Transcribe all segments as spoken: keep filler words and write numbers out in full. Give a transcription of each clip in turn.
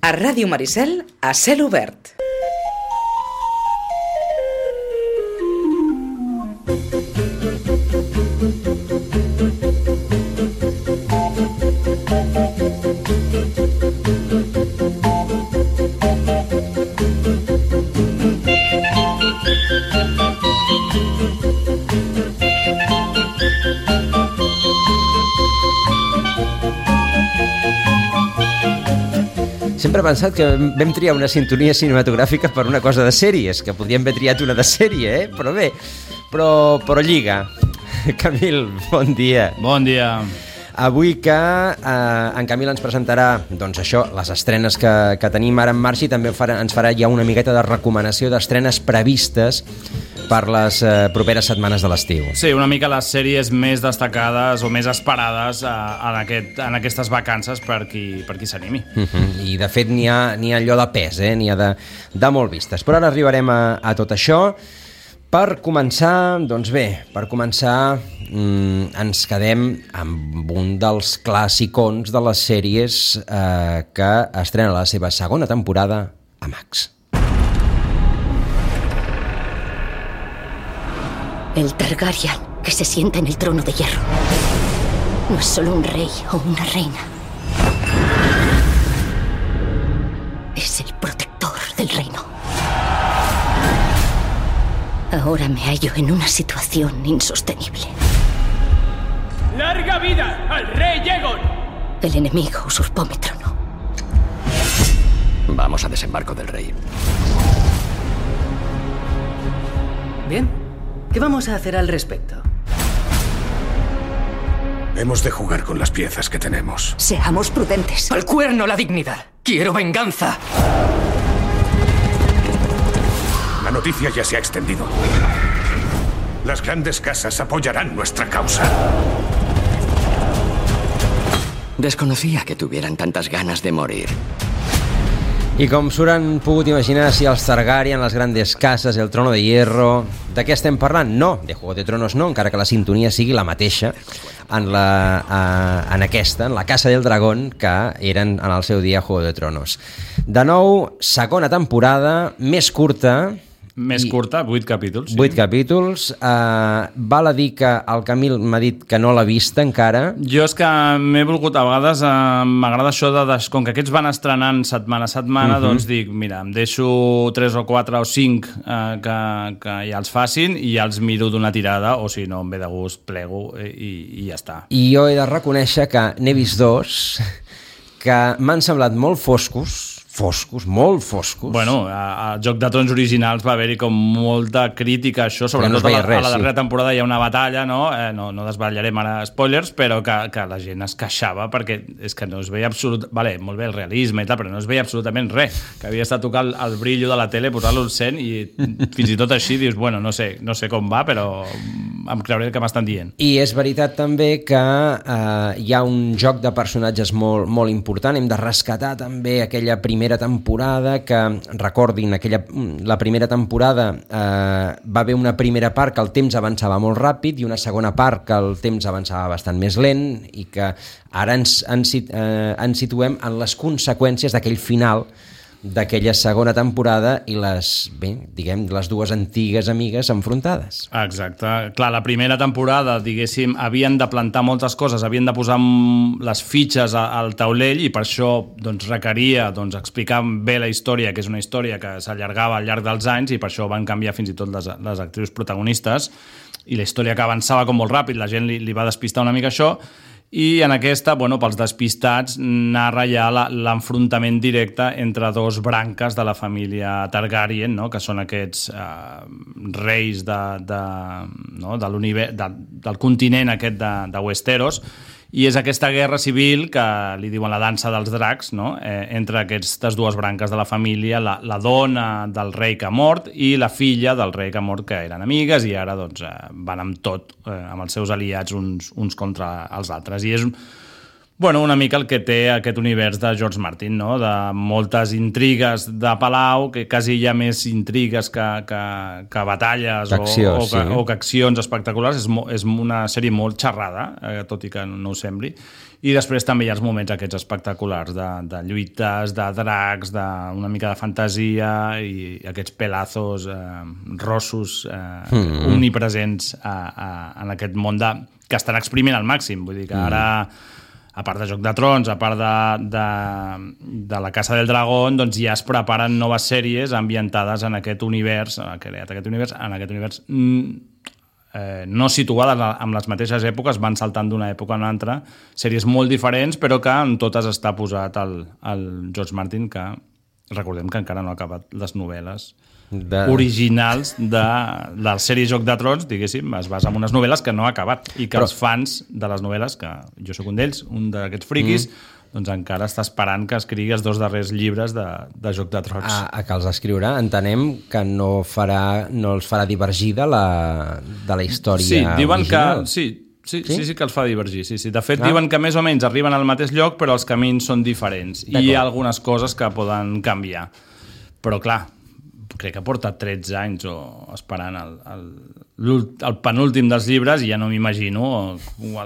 A Ràdio Maricel, a cel obert. Sempre he pensat que vam triar una sintonia cinematogràfica per una cosa de sèries, que podríem haver triat una de sèrie, eh? Però bé, però, però lliga. Camil, bon dia. Bon dia. Avui que eh, en Camil ens presentarà, doncs això, les estrenes que, que tenim ara en marxa i també farà, ens farà ja una miqueta de recomanació d'estrenes previstes per les eh, properes setmanes de l'estiu. Sí, una mica les sèries més destacades o més esperades eh, en, aquest, en aquestes vacances per qui, per qui s'animi. Uh-huh. I de fet n'hi ha, n'hi ha allò de pes, eh? N'hi ha de, de molt vistes. Però ara arribarem a, a tot això. Per començar, doncs bé, per començar mmm, ens quedem amb un dels clàssicons de les sèries eh, que estrena la seva segona temporada a Max. El Targaryen que se sienta en el trono de hierro no es solo un rey o una reina. Es el protector del reino. Ahora me hallo en una situación insostenible. ¡Larga vida al rey Aegon! El enemigo usurpó mi trono. Vamos a desembarco del rey. Bien. ¿Qué vamos a hacer al respecto? Hemos de jugar con las piezas que tenemos. Seamos prudentes. ¡Al cuerno la dignidad! ¡Quiero venganza! La noticia ya se ha extendido. Las grandes casas apoyarán nuestra causa. Desconocía que tuvieran tantas ganas de morir. I com s'hauran pogut imaginar, si els Targaryen, les grandes cases, el trono de hierro... De què estem parlant? No, de Juego de Tronos no, encara que la sintonia sigui la mateixa en, la, uh, en aquesta, en la Casa del Dragón, que eren en el seu dia Juego de Tronos. De nou, segona temporada, més curta... Més I curta, vuit capítols. Sí. Vuit capítols. Uh, val a dir que el Camil m'ha dit que no l'ha vista encara. Jo és que m'he volgut, a vegades uh, m'agrada això de, des, com que aquests van estrenant setmana a setmana, uh-huh. doncs dic, mira, em deixo tres o quatre o cinc uh, que, que ja els facin i ja els miro d'una tirada, o si no, em ve de gust, plego i, i ja està. I jo he de reconèixer que n'he vist dos que m'han semblat molt foscos, foscos, molt foscos. Bueno, a, a Joc de Trons originals va haver-hi com molta crítica a això, sobretot no a, la, res, a la darrera sí. temporada hi ha una batalla, no? Eh, no, no desvetllarem ara spoilers, però que, que la gent es queixava perquè és que no es veia absolut... Vale, molt bé el realisme i tal, però no es veia absolutament res, que havia estat tocar el, el brillo de la tele, posar-lo al cent i fins i tot així dius, bueno, no sé, no sé com va, però em creuré el que m'estan dient. I és veritat també que eh, hi ha un joc de personatges molt, molt important, hem de rescatar també aquella primera temporada, que recordin aquella, la primera temporada eh, va haver una primera part que el temps avançava molt ràpid i una segona part que el temps avançava bastant més lent i que ara ens, ens, eh, ens situem en les conseqüències d'aquell final d'aquella segona temporada i les, bé, diguem, les dues antigues amigues enfrontades. Exacte. Clar, la primera temporada, diguéssim, havien de plantar moltes coses, havien de posar les fitxes al taulell i per això doncs, requeria doncs, explicar bé la història, que és una història que s'allargava al llarg dels anys i per això van canviar fins i tot les, les actrius protagonistes i la història que avançava com molt ràpid, la gent li, li va despistar una mica això. I en aquesta, bueno, pels despistats, narra ja la, l'enfrontament directe entre dos branques de la família Targaryen, no? Que són aquests eh, reis de, de, no? de l'univers, de, del continent aquest de, de Westeros, i és aquesta guerra civil que li diuen la dansa dels dracs, no? eh, entre aquestes dues branques de la família, la, la dona del rei que ha mort i la filla del rei que ha mort, que eren amigues i ara doncs, eh, van amb tot, eh, amb els seus aliats uns, uns contra els altres. I és bueno, una mica el que té aquest univers de George Martin, no? De moltes intrigues de palau, que quasi hi ha més intrigues que, que, que batalles o, o, que, sí. o que accions espectaculars. És, mo, és una sèrie molt xerrada, eh, tot i que no ho sembli. I després també hi ha els moments aquests espectaculars de, de lluites, de dracs, d'una mica de fantasia i aquests pelazos eh, rossos eh, mm. omnipresents a, a, en aquest món de, que estan exprimint al màxim. Vull dir que ara, a part de Joc de Trons, a part de, de, de la Casa del Dragón, doncs ja es preparen noves sèries ambientades en aquest univers, creat aquest univers, en aquest univers eh, no situades en les mateixes èpoques, van saltant d'una època a una altra, sèries molt diferents, però que en totes està posat el, el George Martin, que recordem que encara no ha acabat les novel·les de... originals de, de la sèrie Joc de Trons, diguéssim, es basa en unes novel·les que no ha acabat i que però... els fans de les novel·les, que jo sóc un d'ells, un d'aquests friquis, mm. doncs encara està esperant que escrigui els dos darrers llibres de, de Joc de Trons. A, a que els escriurà, entenem que no, farà, no els farà divergir de la, de la història sí, diuen original. Que, sí, sí, sí? sí, sí que els fa divergir. Sí, sí. De fet, ah. diuen que més o menys arriben al mateix lloc, però els camins són diferents. I hi ha algunes coses que poden canviar. Però clar, crec que porta tretze anys o esperant el, el, el penúltim dels llibres i ja no m'imagino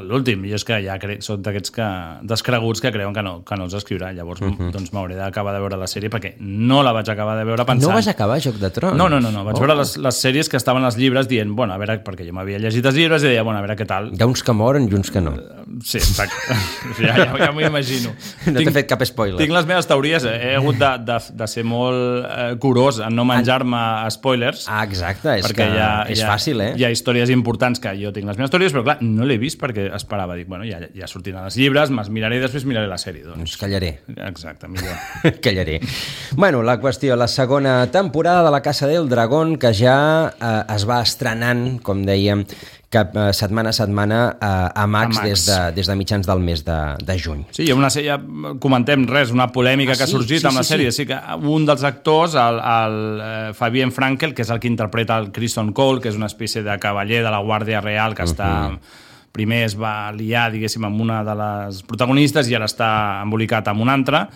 l'últim. Jo és que ja crec, soc d'aquests que, descreguts que creuen que no, que no els escriurà. Llavors uh-huh. doncs m'hauré d'acabar de veure la sèrie perquè no la vaig acabar de veure pensant... No vas acabar Joc de Trons? No, no, no, no. vaig oh. veure les, les sèries que estaven als llibres dient, bueno, a veure, perquè jo m'havia llegit els llibres i deia, bueno, a veure què tal. Hi ha uns que moren i uns que no. Sí, exacte. ja ja, ja m'ho imagino. No t'he fet cap spoiler. Tinc les meves teories, eh? He hagut de, de, de ser molt eh, curós en no menjar-me spoilers. Ah, exacte, és que ha, és ha, fàcil, eh? Hi ha històries importants que jo tinc les meves teories, però clar, no l'he vist perquè esperava, dic, bueno, ja, ja sortiran els llibres, me'ls miraré i després miraré la sèrie. Doncs, doncs callaré. Exacte, millor. callaré. Bueno, la qüestió, la segona temporada de La Casa del Dragón, que ja eh, es va estrenant, com dèiem, cap eh, setmana a setmana eh, a Max, a Max. Des, de, des de mitjans del mes de, de juny. Sí, hi ha una sèrie, comentem res, una polèmica ah, que ha sorgit sí, sí, amb la sèrie. Sí, sí. sí que un dels actors, el, el uh, Fabien Frankel, que és el que interpreta el Criston Cole, que és una espècie de cavaller de la Guàrdia Real que uh-huh. està... Primer es va liar, diguéssim, amb una de les protagonistes i ara està embolicat amb una altra,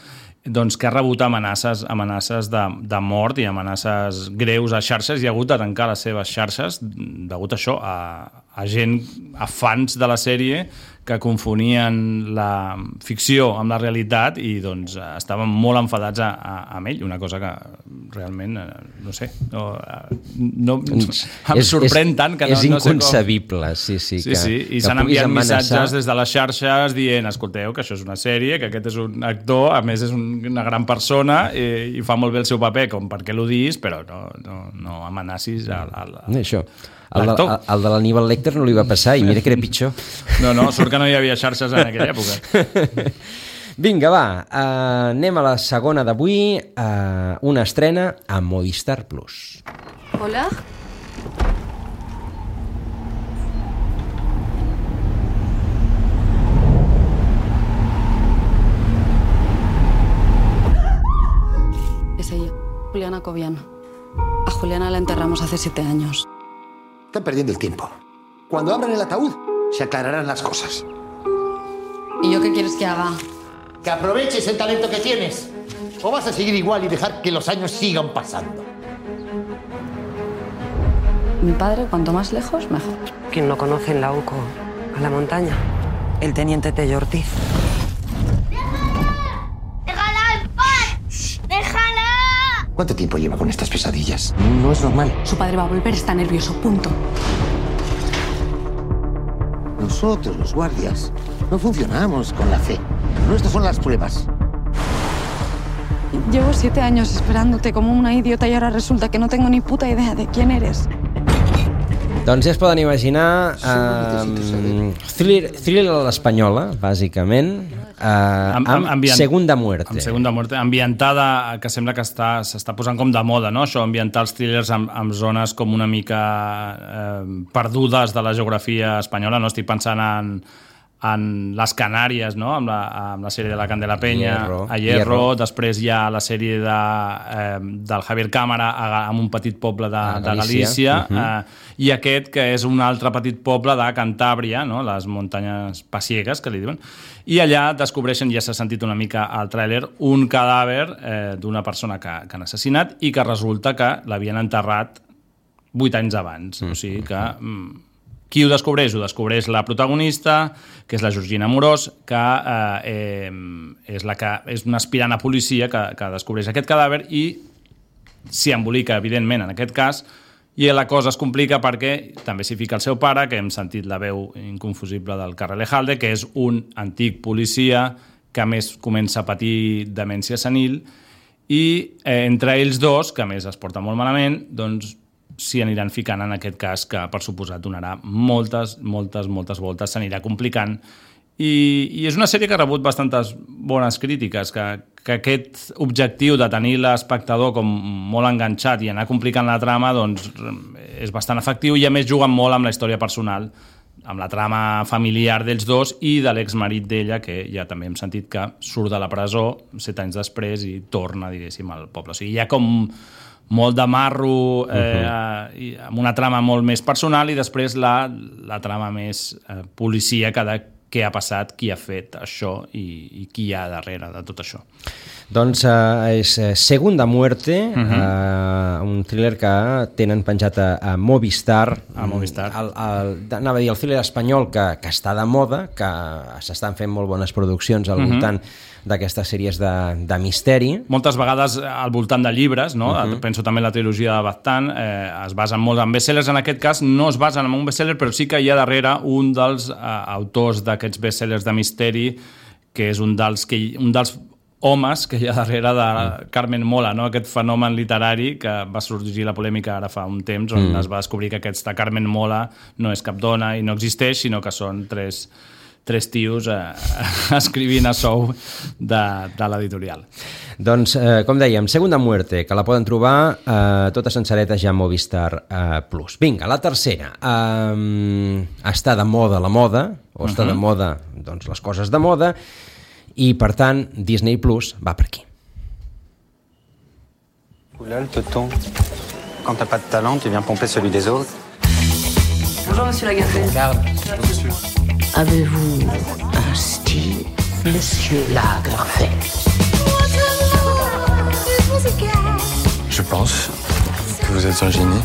doncs que ha rebut amenaces, amenaces de, de mort i amenaces greus a xarxes i ha hagut de tancar les seves xarxes degut a això, a, a gent, a fans de la sèrie que confonien la ficció amb la realitat i doncs estaven molt enfadats a, a, amb ell, una cosa que realment, no sé, no, no, em és, sorprèn és, tant que no, és no sé com... inconcebible, sí, sí. Sí, que, sí, i s'han enviat amenaçar... missatges des de les xarxes dient, escolteu, que això és una sèrie, que aquest és un actor, a més és un, una gran persona i, i fa molt bé el seu paper, com per què l'ho diguis, però no, no, no amenacis al... al, al... Això. El de, el de l'Aníbal Lecter no li va passar i mira que era pitjor. No, no, surt que no hi havia xarxes en aquella època. Vinga, va, uh, anem a la segona d'avui, uh, una estrena a Movistar Plus. Hola. Es ella, Juliana Cobian. A Juliana la enterramos hace siete años. Están perdiendo el tiempo. Cuando abran el ataúd, se aclararán las cosas. ¿Y yo qué quieres que haga? Que aproveches el talento que tienes. O vas a seguir igual y dejar que los años sigan pasando. Mi padre, cuanto más lejos, mejor. ¿Quién no conoce en la U C O a la montaña? El teniente Tello Ortiz. ¡Déjala en paz! ¡Déjala! ¿Cuánto tiempo lleva con estas pesadillas? No es normal. Su padre va a volver, está nervioso, punto. Nosotros, los guardias, no funcionamos con la fe. Nuestras son las pruebas. Llevo siete años esperándote como una idiota y ahora resulta que no tengo ni puta idea de quién eres. Doncs ja es poden imaginar um, thriller, thriller a l'espanyola, bàsicament, uh, amb, amb ambient, Segunda Muerte. Amb Segunda Muerte, ambientada, que sembla que està, s'està posant com de moda, no? Això, ambientar els thrillers amb, amb zones com una mica eh, perdudes de la geografia espanyola, no? Estic pensant en, en les Canàries, no? Amb la, amb la sèrie de la Candela Peña, Hierro, a Hierro, Hierro, després hi ha la sèrie de, eh, del Javier Cámara amb un petit poble de, de Galícia, uh-huh. eh, i aquest que és un altre petit poble de Cantàbria, no? Les muntanyes pasiegues, que li diuen, i allà descobreixen, ja s'ha sentit una mica al tràiler, un cadàver eh, d'una persona que, que han assassinat i que resulta que l'havien enterrat vuit anys abans, mm. o sigui que... Mm, Qui ho descobreix? Ho descobreix la protagonista, que és la Georgina Amorós, que eh, és, la que, és una aspirant a policia que, que descobreix aquest cadàver i s'hi embolica, evidentment, en aquest cas, i la cosa es complica perquè també s'hi fica el seu pare, que hem sentit la veu inconfusible del Karel Ejalde, que és un antic policia que a més comença a patir demència senil, i eh, entre ells dos, que a més es porta molt malament, doncs s'hi aniran ficant en aquest cas que, per suposat, donarà moltes, moltes, moltes voltes, s'anirà complicant. I, I és una sèrie que ha rebut bastantes bones crítiques, que, que aquest objectiu de tenir l'espectador com molt enganxat i anar complicant la trama doncs, és bastant efectiu i a més juguen molt amb la història personal, amb la trama familiar dels dos i de l'exmarit d'ella, que ja també hem sentit que surt de la presó set anys després i torna, diguéssim, al poble. O sigui, hi ha com molt de marro, eh, uh-huh. amb una trama molt més personal i després la, la trama més eh, policíaca de què ha passat, qui ha fet això i, i qui hi ha darrere de tot això. Doncs eh, és Segunda Muerte, uh-huh. eh, un thriller que tenen penjat a, a Movistar. A Movistar. El, el, anava a dir, el thriller espanyol que, que està de moda, que s'estan fent molt bones produccions al uh-huh. voltant d'aquestes sèries de, de misteri. Moltes vegades al voltant de llibres, no? Uh-huh. Penso també en la trilogia de Baztán, eh, es basen molt en bestsellers. En aquest cas no es basen en un bestseller, però sí que hi ha darrere un dels eh, autors d'aquests bestsellers de misteri, que és un dels, que, un dels homes que hi ha darrere de Carmen Mola, no? Aquest fenomen literari que va sorgir la polèmica ara fa un temps, on mm. es va descobrir que aquesta Carmen Mola no és cap dona i no existeix, sinó que són tres... tres tios eh, escrivint a sou de, de l'editorial. Doncs, eh, com dèiem, Segunda Muerte, que la poden trobar eh, tota sencereta ja a Movistar eh, Plus. Vinga, la tercera. Eh, està de moda la moda, o està uh-huh. de moda doncs, les coses de moda, i, per tant, Disney Plus va per aquí. Oula, le tonton. Quand t'as pas de talent, tu viens pomper celui des autres. Bonjour, monsieur Lagarde. Lagarde. Monsieur. Avez-vous un style, monsieur Lagerfeld? Je pense que vous êtes un génie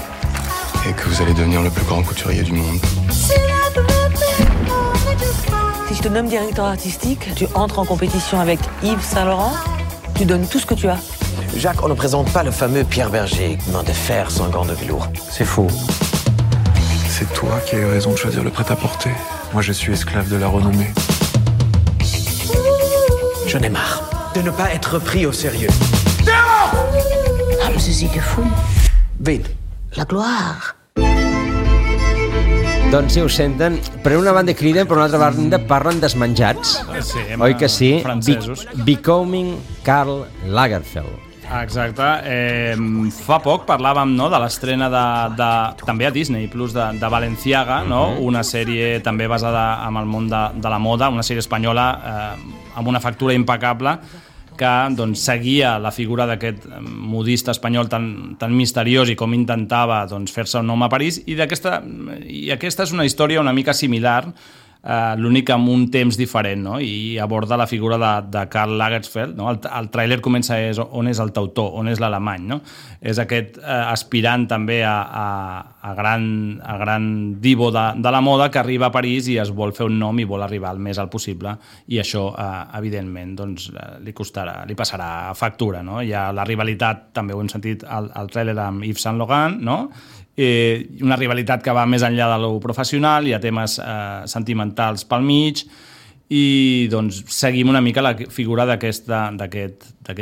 et que vous allez devenir le plus grand couturier du monde. Si je te nomme directeur artistique, tu entres en compétition avec Yves Saint Laurent, tu donnes tout ce que tu as. Jacques, on ne présente pas le fameux Pierre Berger, main de fer sans gants de velours. C'est faux. C'est toi qui as eu raison de choisir le prêt-à-porter. Moi, je suis esclave de la renommée. Je n'ai marre de ne pas être pris au sérieux. Ah, mais c'est si que fou. Vite. La gloire. Doncs si ho senten, per una banda criden, per una altra banda parlen desmenjats. Sí, oi que sí? Francesos. Be- Becoming Karl Lagerfeld. Exacte. Eh, fa poc parlàvem, no, de l'estrena de, de, també a Disney Plus de, de Balenciaga, no? Uh-huh. Una sèrie també basada en el món de, de la moda, una sèrie espanyola eh, amb una factura impecable que doncs, seguia la figura d'aquest modista espanyol tan, tan misteriós i com intentava doncs, fer-se un nom a París, i, d'aquesta, i aquesta és una història una mica similar, Uh, l'únic amb un temps diferent, no? I aborda la figura de, de Karl Lagerfeld, no? El, el tràiler comença és on és el teutor, on és l'alemany, no? És aquest uh, aspirant també a, a, a, gran, a gran divo de, de la moda que arriba a París i es vol fer un nom i vol arribar el més alt possible, i això uh, evidentment doncs, uh, li costarà, li passarà factura, no? Hi ha la rivalitat, també ho hem sentit al, al tràiler amb Yves Saint Laurent, no? Eh, una rivalitat que va més enllà de lo professional, hi ha temes eh, sentimentals pel mig, i doncs seguim una mica la figura d'aquest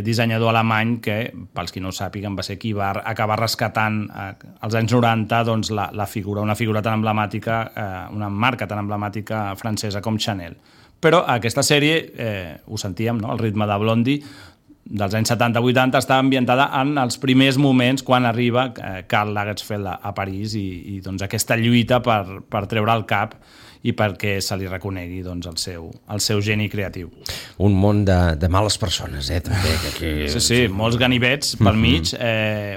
dissenyador alemany que, pels qui no ho sàpiguen, va ser qui va acabar rescatant eh, als anys noranta doncs, la, la figura, una figura tan emblemàtica, eh, una marca tan emblemàtica francesa com Chanel. Però aquesta sèrie, eh, ho sentíem, no? El ritme de Blondie, dels anys setanta vuitanta, està ambientada en els primers moments quan arriba eh, Karl Lagerfeld a, a París i, i doncs, aquesta lluita per, per treure el cap i perquè se li reconegui doncs, el, seu, el seu geni creatiu. Un món de, de males persones, eh? També, que aquí... Sí, sí, molts ganivets pel mig, eh,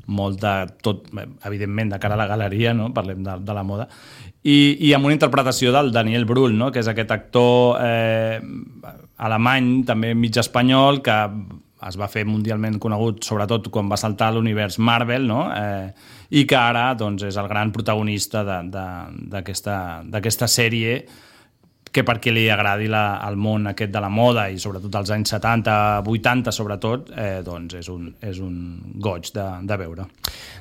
molt de tot, evidentment, de cara a la galeria, no? Parlem de, de la moda, i, i amb una interpretació del Daniel Brühl, no? Que és aquest actor eh, alemany, també mig espanyol, que es va fer mundialment conegut, sobretot quan va saltar a l'univers Marvel, no? Eh, i que ara doncs, és el gran protagonista d'aquesta sèrie, que perquè li agradi la, el món aquest de la moda i sobretot als anys setanta, vuitanta sobretot, eh, doncs és un, és un goig de, de veure.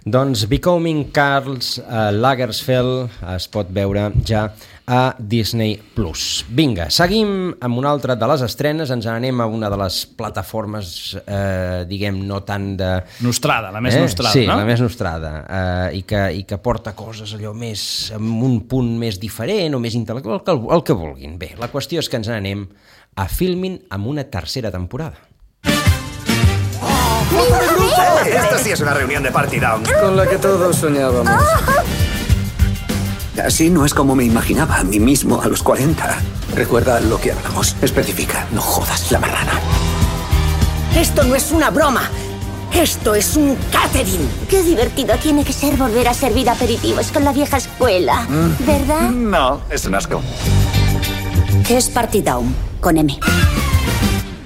Doncs Becoming Karl uh, Lagerfeld es pot veure ja a Disney plus. Vinga, seguim amb una altra de les estrenes, ens anem a una de les plataformes, eh, diguem, no tant de... Nostrada, la més eh? nostrada, sí, no? Sí, la més nostrada, eh, i, que, i que porta coses allò més, amb un punt més diferent o més intel·lectual, el que, el que vulguin. Bé, la qüestió és que ens anem a Filmin amb una tercera temporada. Esto sí es una reunión de Party Down. Con la que todos soñábamos. Así no es como me imaginaba a mí mismo a los cuarenta. Recuerda lo que hablamos. Especifica, no jodas la marrana. Esto no es una broma. Esto es un catering. Qué divertido tiene que ser volver a servir aperitivos con la vieja escuela, Mm. ¿verdad? No, es un asco. ¿Qué es Party Down? Con M.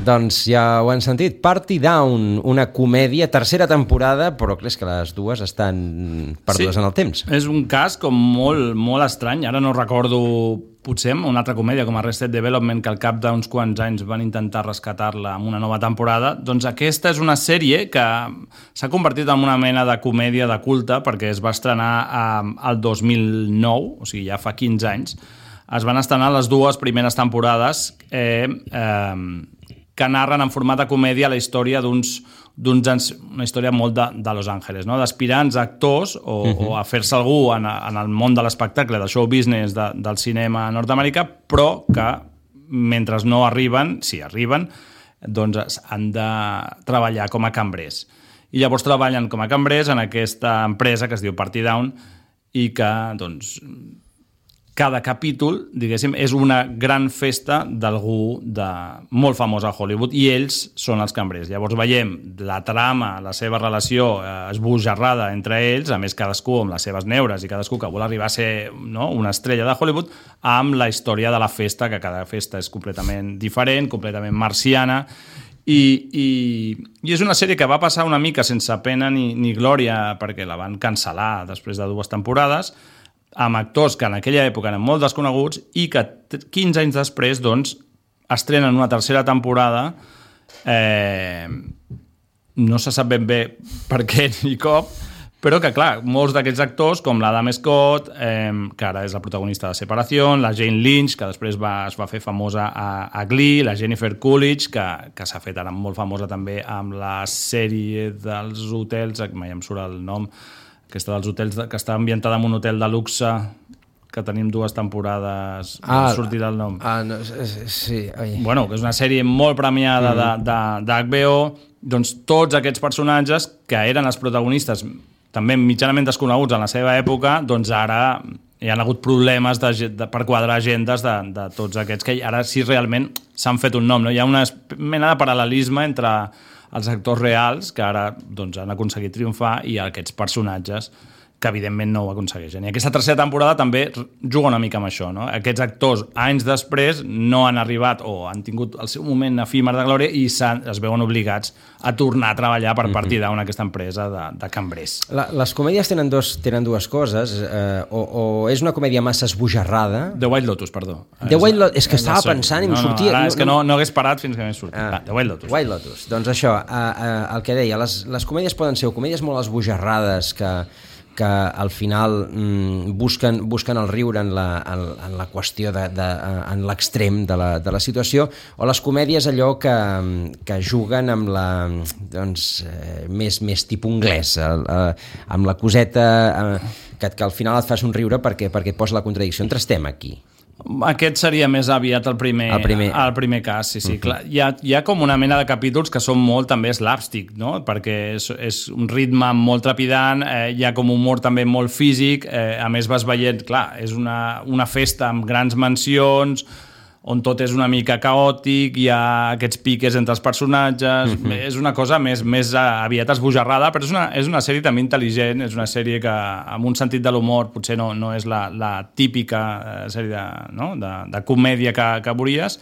Doncs ja ho han sentit, Party Down, una comèdia, tercera temporada, però clar, és que les dues estan perdudes sí, en el temps. És un cas com molt, molt estrany. Ara no recordo, potser, una altra comèdia com Arrested Development, que al cap d'uns quants anys van intentar rescatar-la amb una nova temporada. Doncs aquesta és una sèrie que s'ha convertit en una mena de comèdia de culte, perquè es va estrenar al dos mil nou, o sigui, ja fa quinze anys. Es van estrenar les dues primeres temporades eh, eh, que narren en format de comèdia la història d'uns, d'uns una història molt de, de Los Angeles, no? D'aspirants actors o, uh-huh. o a fer-se algú en, en el món de l'espectacle, del show business de, del cinema nord-americà, però que mentre no arriben, si arriben, doncs han de treballar com a cambrers. I llavors treballen com a cambrers en aquesta empresa que es diu Party Down i que, doncs, cada capítol, diguéssim, és una gran festa d'algú de molt famós a Hollywood i ells són els cambrers. Llavors veiem la trama, la seva relació eh, esbojarrada entre ells, a més cadascú amb les seves neures i cadascú que vol arribar a ser, no, una estrella de Hollywood, amb la història de la festa, que cada festa és completament diferent, completament marciana, i, i, i és una sèrie que va passar una mica sense pena ni, ni glòria perquè la van cancel·lar després de dues temporades, amb actors que en aquella època eren molt desconeguts i que quinze anys després doncs, estrenen una tercera temporada. Eh, no se sap ben bé per què ni cop, però que, clar, molts d'aquests actors, com l'Adam Scott, eh, que ara és la protagonista de Separació, la Jane Lynch, que després va, es va fer famosa a, a Glee, la Jennifer Coolidge, que, que s'ha fet ara molt famosa també amb la sèrie dels hotels, mai em surt el nom, aquesta dels hotels, que està ambientada en un hotel de luxe, que tenim dues temporades, ah, no sortirà el nom. Ah, no, sí. Ai. Bueno, que és una sèrie molt premiada mm. d'H B O, doncs tots aquests personatges que eren els protagonistes també mitjanament desconeguts en la seva època, doncs ara hi ha hagut problemes de, de, per quadrar agendes de, de tots aquests, que ara sí realment s'han fet un nom. No? Hi ha una mena de paral·lelisme entre els actors reals, que ara doncs, han aconseguit triomfar, i aquests personatges que evidentment no ho aconsegueixen. I aquesta tercera temporada també juga una mica amb això, no? Aquests actors, anys després, no han arribat o han tingut el seu moment efímer de glòria i es veuen obligats a tornar a treballar per Party Down, aquesta empresa de, de cambrers. La, les comèdies tenen, dos, tenen dues coses, eh, o, o és una comèdia massa esbojarrada... The White Lotus, perdó. The White Lotus, és que estava pensant i em no, no, sortia... Ara és que no, no hagués parat fins que m'he sortit. Ah, The White Lotus. White Lotus. Doncs això, eh, eh, el que deia, les, les comèdies poden ser comèdies molt esbojarrades que... que al final mm, busquen, busquen el riure en la, en, en la qüestió de, de, en l'extrem de la, de la situació, o les comèdies allò que, que juguen amb la doncs, eh, més, més tipus anglès, eh, amb la coseta eh, que, que al final et fa somriure perquè, perquè et posa la contradicció entre estem aquí. Aquest seria més aviat el primer, el primer. el primer cas, sí, sí. Uh-huh. Clar, hi, ha, hi ha com una mena de capítols que són molt també slapstick, no? Perquè és, és un ritme molt trepidant, eh, hi ha com humor també molt físic, eh, a més vas veient, clar, és una, una festa amb grans mansions, on tot és una mica caòtic, hi ha aquests piques entre els personatges, uh-huh. és una cosa més, més aviat esbojarrada, però és una, és una sèrie també intel·ligent, és una sèrie que amb un sentit de l'humor potser no, no és la, la típica sèrie de, no? de, de comèdia que, que veuries,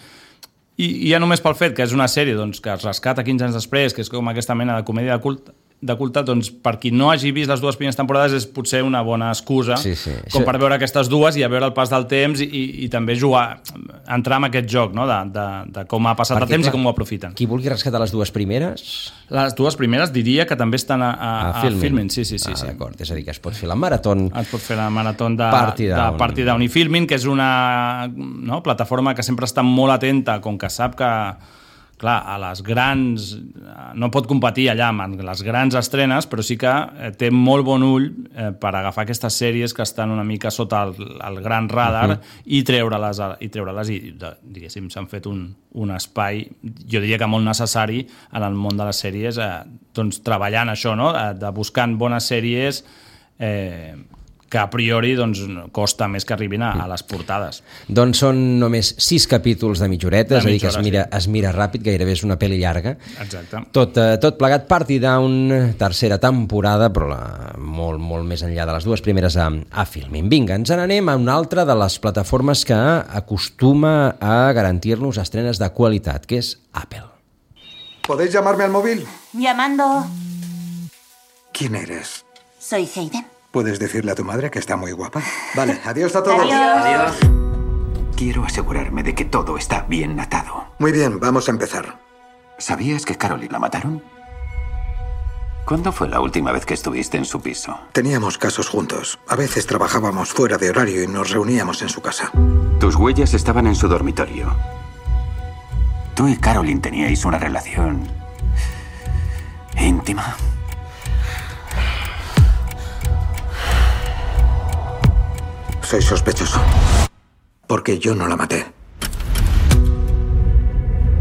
I, i ja només pel fet que és una sèrie doncs, que es rescata quinze anys després, que és com aquesta mena de comèdia de culte, de culte, doncs per qui no hagi vist les dues primeres temporades és potser una bona excusa sí, sí. com Això... per veure aquestes dues i a veure el pas del temps i, i també jugar, entrar en aquest joc, no? de, de, de com ha passat Perquè, el temps clar, i com ho aprofiten. Qui vulgui rescatar les dues primeres... Les dues primeres diria que també estan a, a, a, a Filmin. Sí, sí, sí, ah, sí. D'acord, és a dir, que es pot fer la maratón... Es pot fer la maratón de Party Down, de Party Down i Filmin, que és una no, plataforma que sempre està molt atenta, com que sap que clar, a les grans... no pot competir allà amb les grans estrenes, però sí que té molt bon ull eh, per agafar aquestes sèries que estan una mica sota el, el gran radar uh-huh. i treure-les, i, treure-les i diguéssim, s'han fet un, un espai, jo diria que molt necessari en el món de les sèries, eh, doncs treballant això, no? de buscant bones sèries eh, que a priori doncs, costa més que arribin a, a les portades. Doncs són només sis capítols de mitja horeta, és a dir, que es mira, sí. es mira ràpid, gairebé és una pel·li llarga. Exacte. Tot, eh, tot plegat, Party Down, tercera temporada, però la, molt, molt més enllà de les dues primeres a, a Filmin. Vinga, ens n'anem a una altra de les plataformes que acostuma a garantir-nos estrenes de qualitat, que és Apple. ¿Podéis llamarme al móvil? Llamando. ¿Quién eres? Soy Hayden. ¿Puedes decirle a tu madre que está muy guapa? Vale, adiós a todos. Adiós. Adiós. Quiero asegurarme de que todo está bien atado. Muy bien, vamos a empezar. ¿Sabías que Caroline la mataron? ¿Cuándo fue la última vez que estuviste en su piso? Teníamos casos juntos. A veces trabajábamos fuera de horario y nos reuníamos en su casa. Tus huellas estaban en su dormitorio. Tú y Caroline teníais una relación íntima. Soy sospechoso. Porque yo no la maté.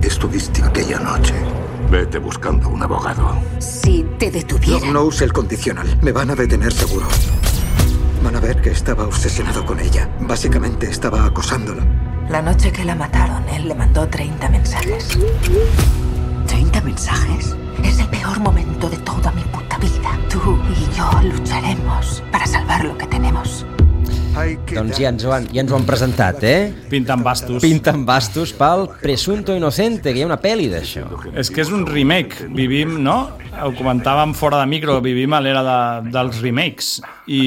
Estuviste aquella noche. Vete buscando un abogado. Si te detuviera... No, no use el condicional. Me van a detener seguro. Van a ver que estaba obsesionado con ella. Básicamente estaba acosándola. La noche que la mataron, él le mandó treinta mensajes. ¿treinta mensajes? Es el peor momento de toda mi puta vida. Tú y yo lucharemos para salvar lo que tenemos. Doncs ja ens, ho han, ja ens ho han presentat, eh? Pintant bastos. Pintant bastos pel Presunto Inocente, que hi ha una pel·li d'això. És que és un remake. Vivim, no? Ho comentàvem fora de micro, vivim a l'era de, dels remakes. I,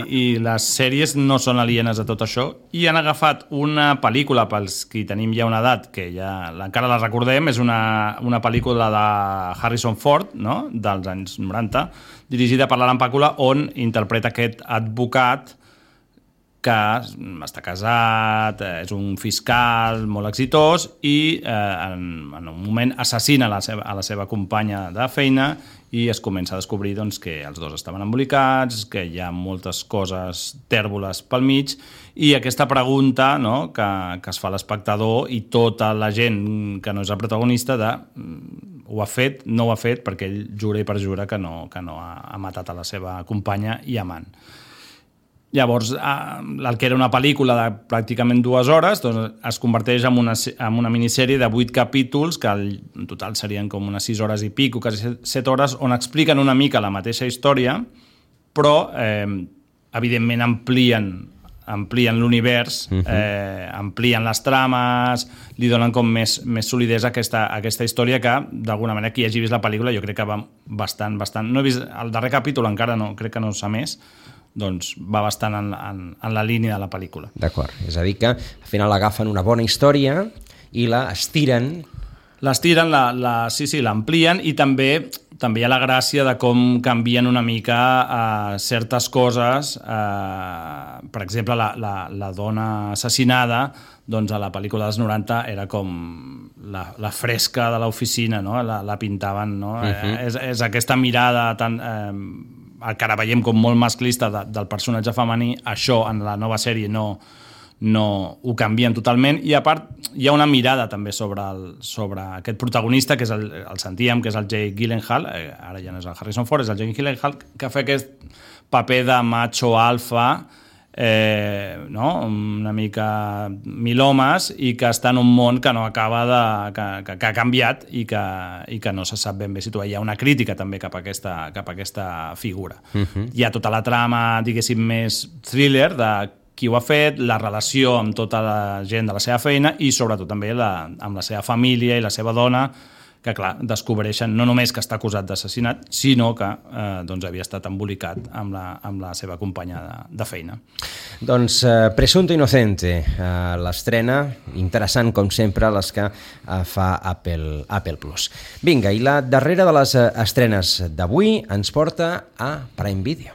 I les sèries no són alienes a tot això. I han agafat una pel·lícula, pels qui tenim ja una edat, que ja encara la recordem, és una, una pel·lícula de Harrison Ford, no? Dels anys noranta, dirigida per l'Alan Pakula, on interpreta aquest advocat que està casat, és un fiscal molt exitós i eh, en, en un moment assassina la seva, a la seva companya de feina i es comença a descobrir doncs, que els dos estaven embolicats, que hi ha moltes coses tèrboles pel mig i aquesta pregunta, no, que, que es fa l'espectador i tota la gent que no és el protagonista de ho ha fet, no ho ha fet, perquè ell jura i perjura que no, que no ha, ha matat a la seva companya i amant. Llavors, el que era una pel·lícula de pràcticament dues hores doncs es converteix en una, en una minissèrie de vuit capítols, que en total serien com unes sis hores i pico, quasi set hores, on expliquen una mica la mateixa història, però eh, evidentment amplien, amplien l'univers, uh-huh. eh, amplien les trames, li donen com més, més solidesa a aquesta, a aquesta història que, d'alguna manera, qui hagi vist la pel·lícula jo crec que va bastant, bastant... No he vist el darrer capítol encara, no, crec que no s'ha més, doncs va bastant en, en, en la línia de la pel·lícula. D'acord, és a dir que al final agafen una bona història i la estiren. L'estiren, la, la, sí, sí, l'amplien i també, també hi ha la gràcia de com canvien una mica eh, certes coses. Eh, per exemple, la, la, la dona assassinada doncs a la pel·lícula dels noranta era com la, la fresca de l'oficina, no? la, la pintaven, no? Uh-huh. eh, és, és aquesta mirada tan... Eh, que ara veiem com molt masclista de, del personatge femení, això en la nova sèrie no, no ho canvien totalment, i a part hi ha una mirada també sobre, el, sobre aquest protagonista, que és el, el sentíem, que és el Jake Gyllenhaal, eh, ara ja no és el Harrison Ford, és el Jake Gyllenhaal, que fa aquest paper de macho alfa, eh, no? una mica mil homes, i que està en un món que no acaba de... que, que, que ha canviat i que, i que no se sap ben bé situar. Hi ha una crítica també cap a aquesta, cap a aquesta figura. Uh-huh. Hi ha tota la trama, diguéssim, més thriller de qui ho ha fet, la relació amb tota la gent de la seva feina i sobretot també la, amb la seva família i la seva dona, que clar, descobreixen no només que està acusat d'assassinat, sinó que eh, doncs havia estat embolicat amb la, amb la seva companya de, de feina. Doncs eh, Presunto Inocente, eh, l'estrena, interessant com sempre, les que eh, fa Apple, Apple Plus. Vinga, i la darrera de les eh, estrenes d'avui ens porta a Prime Video.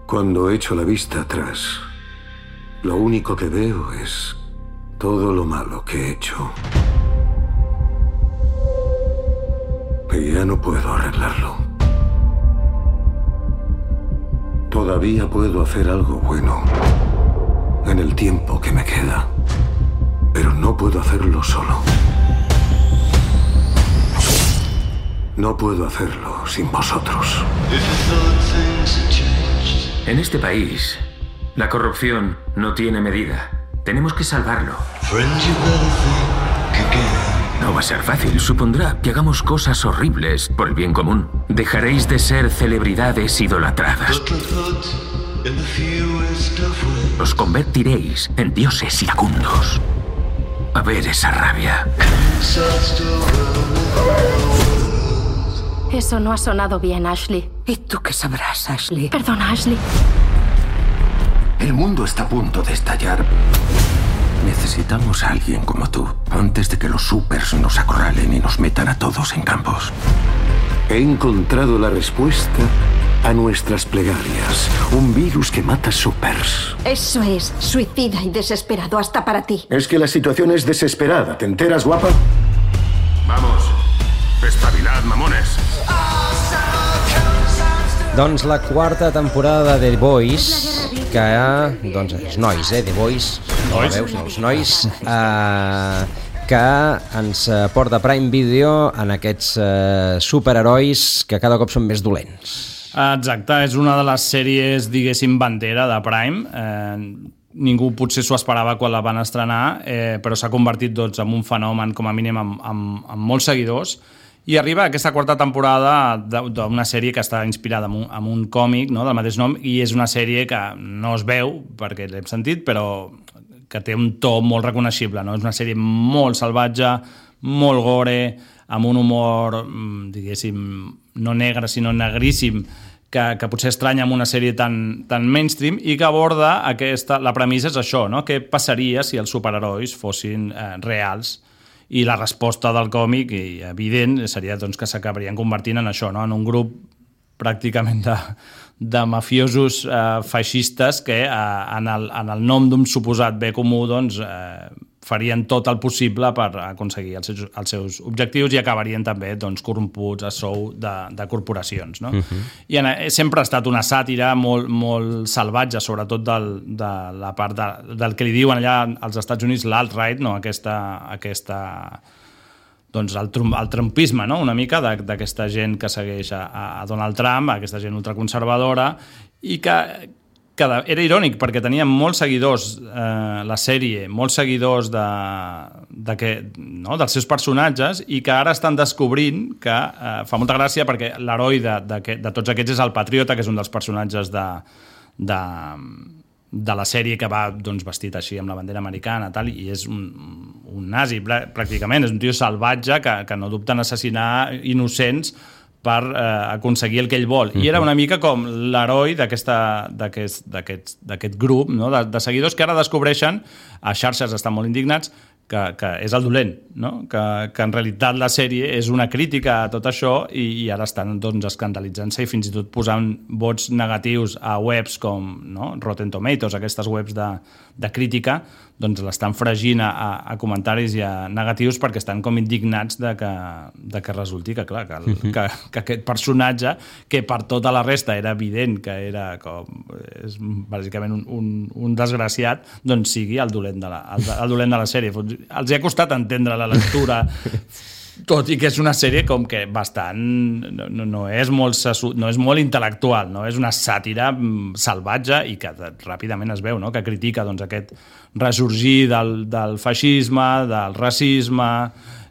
Cuando echo la vista atrás, lo único que veo es todo lo malo que he hecho. Y ya no puedo arreglarlo. Todavía puedo hacer algo bueno en el tiempo que me queda, pero no puedo hacerlo solo. No puedo hacerlo sin vosotros. En este país, la corrupción no tiene medida. Tenemos que salvarlo. No va a ser fácil. Supondrá que hagamos cosas horribles por el bien común. Dejaréis de ser celebridades idolatradas. Os convertiréis en dioses iracundos. A ver esa rabia. Eso no ha sonado bien, Ashley. ¿Y tú qué sabrás, Ashley? Perdona, Ashley. El mundo está a punto de estallar. Necesitamos a alguien como tú, antes de que los supers nos acorralen y nos metan a todos en campos. He encontrado la respuesta a nuestras plegarias. Un virus que mata supers. Eso es suicida y desesperado hasta para ti. Es que la situación es desesperada. ¿Te enteras, guapa? Vamos, espabilad, mamones. Doncs la quarta temporada de The Boys, que, doncs, els nois, eh, The Boys, no la veus, no, els nois, eh, que ens porta Prime Video en aquests eh, superherois que cada cop són més dolents. Exacte, és una de les sèries, diguéssim, bandera de Prime. Eh, ningú potser s'ho esperava quan la van estrenar, eh, però s'ha convertit doncs, en un fenomen, com a mínim, amb, amb, amb molts seguidors. I arriba aquesta quarta temporada d'una sèrie que està inspirada en un, en un còmic, no?, del mateix nom, i és una sèrie que no es veu, perquè l'hem sentit, però que té un to molt reconeixible, no? És una sèrie molt salvatge, molt gore, amb un humor, diguéssim, no negre, sinó negríssim, que, que potser estranya amb una sèrie tan, tan mainstream i que aborda aquesta... La premissa és això, no?, què passaria si els superherois fossin eh, reals. I la resposta del còmic, i evident, seria doncs, que s'acabarien convertint en això, no?, en un grup pràcticament de, de mafiosos eh, feixistes que eh, en, el, en el nom d'un suposat bé comú doncs, eh, farien tot el possible per aconseguir els seus, els seus objectius i acabarien també doncs, corromputs a sou de, de corporacions. No? Uh-huh. I en, sempre ha estat una sàtira molt, molt salvatge, sobretot del, de la part de, del que li diuen allà als Estats Units l'alt-right, no? aquesta, aquesta, doncs el, el trumpisme, no? Una mica d'aquesta gent que segueix a, a Donald Trump, aquesta gent ultraconservadora, i que... que era irònic perquè tenia molts seguidors eh, la sèrie, molts seguidors de, de que, no, dels seus personatges i que ara estan descobrint que eh, fa molta gràcia perquè l'heroi de, de, de tots aquests és el Patriota, que és un dels personatges de, de, de la sèrie que va doncs, vestit així amb la bandera americana tal, i és un, un nazi pràcticament, és un tio salvatge que, que no dubta en assassinar innocents per eh, aconseguir el que ell vol. I era una mica com l'heroi d'aquest grup, no? de, de seguidors que ara descobreixen, a xarxes estan molt indignats, que, que és el dolent, no? que, que en realitat la sèrie és una crítica a tot això i, i ara estan doncs, escandalitzant-se i fins i tot posant vots negatius a webs com no? Rotten Tomatoes, aquestes webs de, de crítica, doncs l'estan fregint a, a comentaris i a negatius perquè estan com indignats de que, de que resulti que, clar, que, el, uh-huh. que, que aquest personatge, que per tota la resta era evident que era com, és bàsicament un, un, un desgraciat, doncs sigui el dolent de la, el, el dolent de la sèrie. Els hi ha costat entendre la lectura, tot i que és una sèrie com que bastant no, no, és, molt, no és molt intel·lectual, no? És una sàtira salvatge i que ràpidament es veu, no? Que critica doncs, aquest ressorgir del, del feixisme, del racisme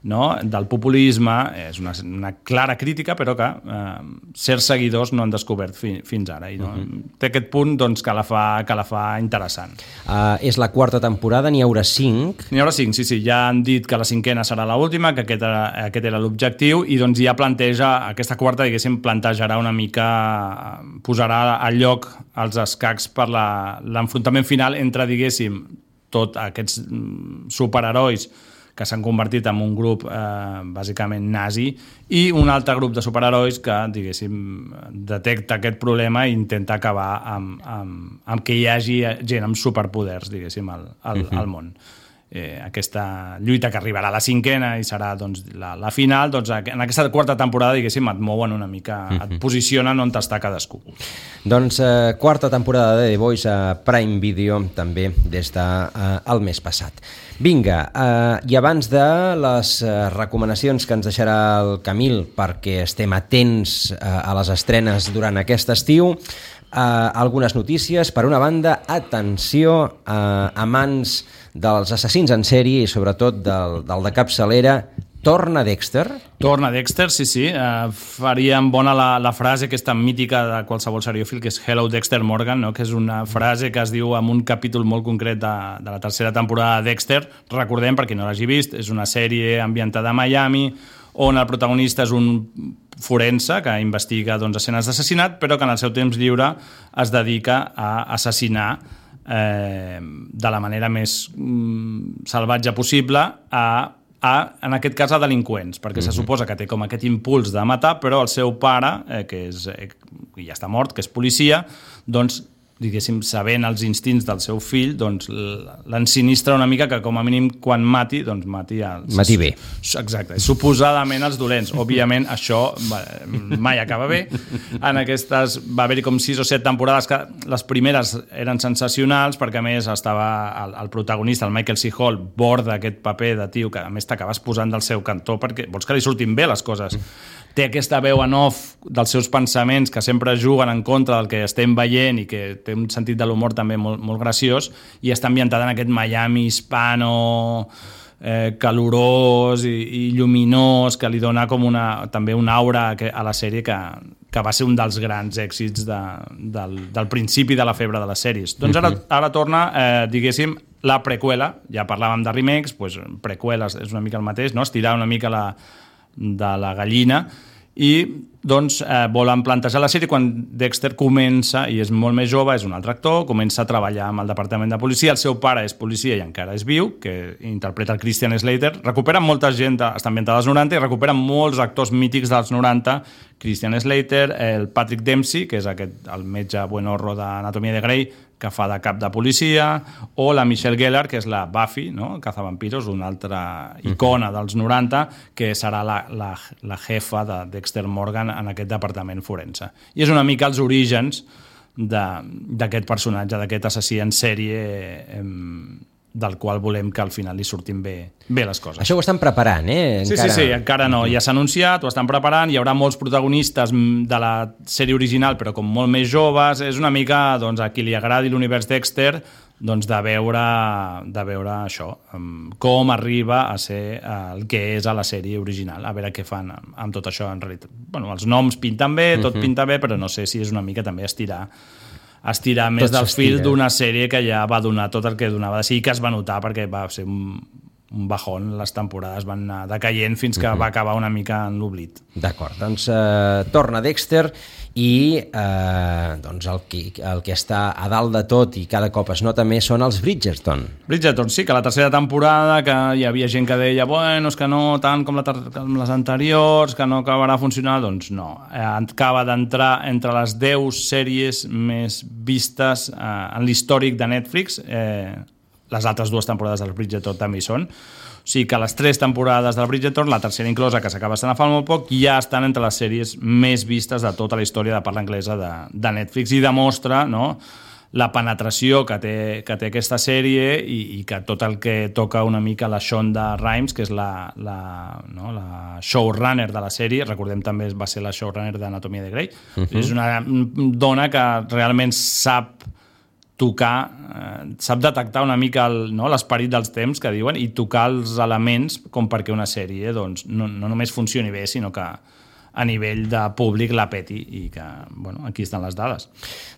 no? Del populisme, és una, una clara crítica, però que eh, certs seguidors no han descobert fi, fins ara. I, no? Uh-huh. Té aquest punt doncs, que, la fa, que la fa interessant. Uh, és la quarta temporada, n'hi haurà cinc. N'hi haurà cinc, sí, sí. Ja han dit que la cinquena serà l'última, que aquest era, aquest era l'objectiu, i doncs ja planteja, aquesta quarta, diguéssim, plantejarà una mica, posarà al lloc els escacs per l'enfrontament final entre, diguéssim, tots aquests superherois que s'han convertit en un grup eh, bàsicament nazi i un altre grup de superherois que, diguéssim, detecta aquest problema i intenta acabar amb, amb, amb que hi hagi gent amb superpoders, diguéssim, al, al, uh-huh. al món. Eh, aquesta lluita que arribarà a la cinquena i serà doncs, la, la final, doncs, en aquesta quarta temporada, diguéssim, et mouen una mica, uh-huh. et posicionen on està cadascú. Doncs eh, quarta temporada de The Voice a Prime Video, també des del de, eh, mes passat. Vinga, eh, i abans de les eh, recomanacions que ens deixarà el Camil perquè estem atents eh, a les estrenes durant aquest estiu, eh, algunes notícies. Per una banda, atenció, eh, amants dels assassins en sèrie i sobretot del, del de capçalera, torna Dexter? Torna Dexter, sí, sí. Uh, faríem bona la, la frase que és tan mítica de qualsevol seriòfil, que és Hello Dexter Morgan, no? Que és una frase que es diu en un capítol molt concret de, de la tercera temporada de Dexter. Recordem, per qui no l'hagi vist, és una sèrie ambientada a Miami, on el protagonista és un forense que investiga doncs, escenes d'assassinat, però que en el seu temps lliure es dedica a assassinar eh, de la manera més mm, salvatge possible a A, en aquest cas, a delinqüents, perquè uh-huh. se suposa que té com aquest impuls de matar, però el seu pare, eh, que és, eh, ja està mort, que és policia, doncs, diguéssim, sabent els instints del seu fill, doncs l'ensinistra una mica que, com a mínim, quan mati, doncs mati els... Mati bé. Exacte, suposadament els dolents. Òbviament, això mai acaba bé. En aquestes va haver-hi com sis o set temporades que les primeres eren sensacionals, perquè a més estava el, el protagonista, el Michael C. Hall, borda aquest paper de tio que a més t'acabes posant del seu cantó perquè vols que li surtin bé les coses. Té aquesta veu en off dels seus pensaments que sempre juguen en contra del que estem veient i que té un sentit de l'humor també molt, molt graciós i està ambientada en aquest Miami hispano eh, calorós i, i lluminós que li dona com una, també una aura a la sèrie que, que va ser un dels grans èxits de, del, del principi de la febre de les sèries. Doncs ara, ara torna, eh, diguéssim, la preqüela, ja parlàvem de remakes, doncs preqüeles és una mica el mateix, no? Estirar una mica la de la gallina i doncs eh, volen plantejar la sèrie quan Dexter comença, i és molt més jove, és un altre actor, comença a treballar amb el departament de policia, el seu pare és policia i encara és viu, que interpreta el Christian Slater, recuperen molta gent, està ambientada als noranta i recuperen molts actors mítics dels noranta, Christian Slater, el Patrick Dempsey, que és aquest, el metge buenorro d'Anatomia de Grey, que fa de cap de policia, o la Michelle Gellar, que és la Buffy, no? Cazavampiros, una altra icona dels noranta, que serà la, la, la jefa de Dexter Morgan en aquest departament forense. I és una mica els orígens d'aquest personatge, d'aquest assassí en sèrie eh, del qual volem que al final li surtin bé, bé les coses. Això ho estan preparant, eh? Sí, encara... sí, sí, encara no. Ja s'ha anunciat, ho estan preparant, hi haurà molts protagonistes de la sèrie original, però com molt més joves. És una mica, doncs, a qui li agradi l'univers Dexter, doncs, de veure, de veure això, com arriba a ser el que és a la sèrie original, a veure què fan amb, amb tot això en realitat. Bueno, els noms pinten bé, tot uh-huh. pinta bé, però no sé si és una mica també estirar estirar més tot del fil d'una sèrie que ja va donar tot el que donava. Sí que es va notar perquè va ser un, un bajón, les temporades van anar decaient fins que uh-huh. va acabar una mica en l'oblit. D'acord, doncs eh, torna Dexter i eh, doncs el, que, el que està a dalt de tot i cada cop es nota més són els Bridgerton. Bridgerton, sí, que la tercera temporada que hi havia gent que deia bueno, és que no tant com, la ter- com les anteriors, que no acabarà funcionant, doncs no. Eh, acaba d'entrar entre les deu sèries més vistes eh, en l'històric de Netflix. Eh, les altres dues temporades del Bridgerton també hi són. O sigui que les tres temporades del Bridgerton, la tercera inclosa, que s'acaba estant a fa molt poc, ja estan entre les sèries més vistes de tota la història de parla anglesa de, de Netflix i demostra, no, la penetració que té, que té aquesta sèrie i, i que tot el que toca una mica la Shonda Rhimes, que és la, la, no, la showrunner de la sèrie, recordem també va ser la showrunner d'Anatomia de Grey, uh-huh. és una dona que realment sap tocar, eh, sap detectar una mica el, no, l'esperit dels temps que diuen i tocar els elements com perquè una sèrie doncs, no, no només funcioni bé, sinó que a nivell de públic la peti i que, bueno, aquí estan les dades.